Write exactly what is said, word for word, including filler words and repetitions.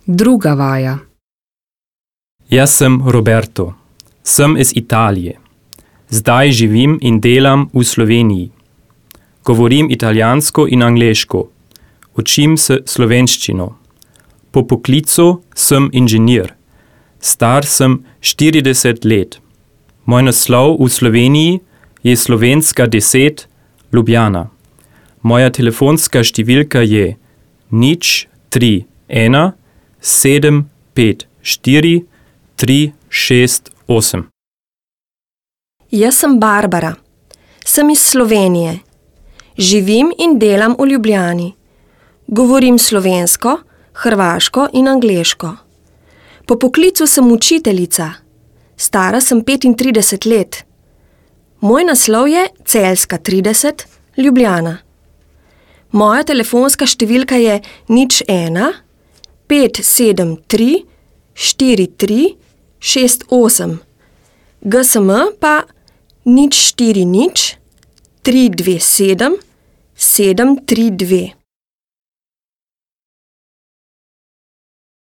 Druga vaja. Jaz sem Roberto. Sem iz Italije. Zdaj živim in delam v Sloveniji. Govorim italijansko in angleško. Učim se slovenščino. Po poklicu sem inženir. Star sem štirideset let. Moj naslov v Sloveniji je Slovenska deset, Ljubljana. Moja telefonska številka je nič tri ena sedem pet štiri tri šest osem. Jaz sem Barbara. Sem iz Slovenije. Živim in delam v Ljubljani. Govorim slovensko, hrvaško in angleško. Po poklicu sem učiteljica. Stara sem petintrideset let. Moj naslov je Celjska trideset, Ljubljana. Moja telefonska številka je nič ena pet sedem tri štiri tri šest osem. G S M pa nič štiri nič tri dve sedem sedem tri dve.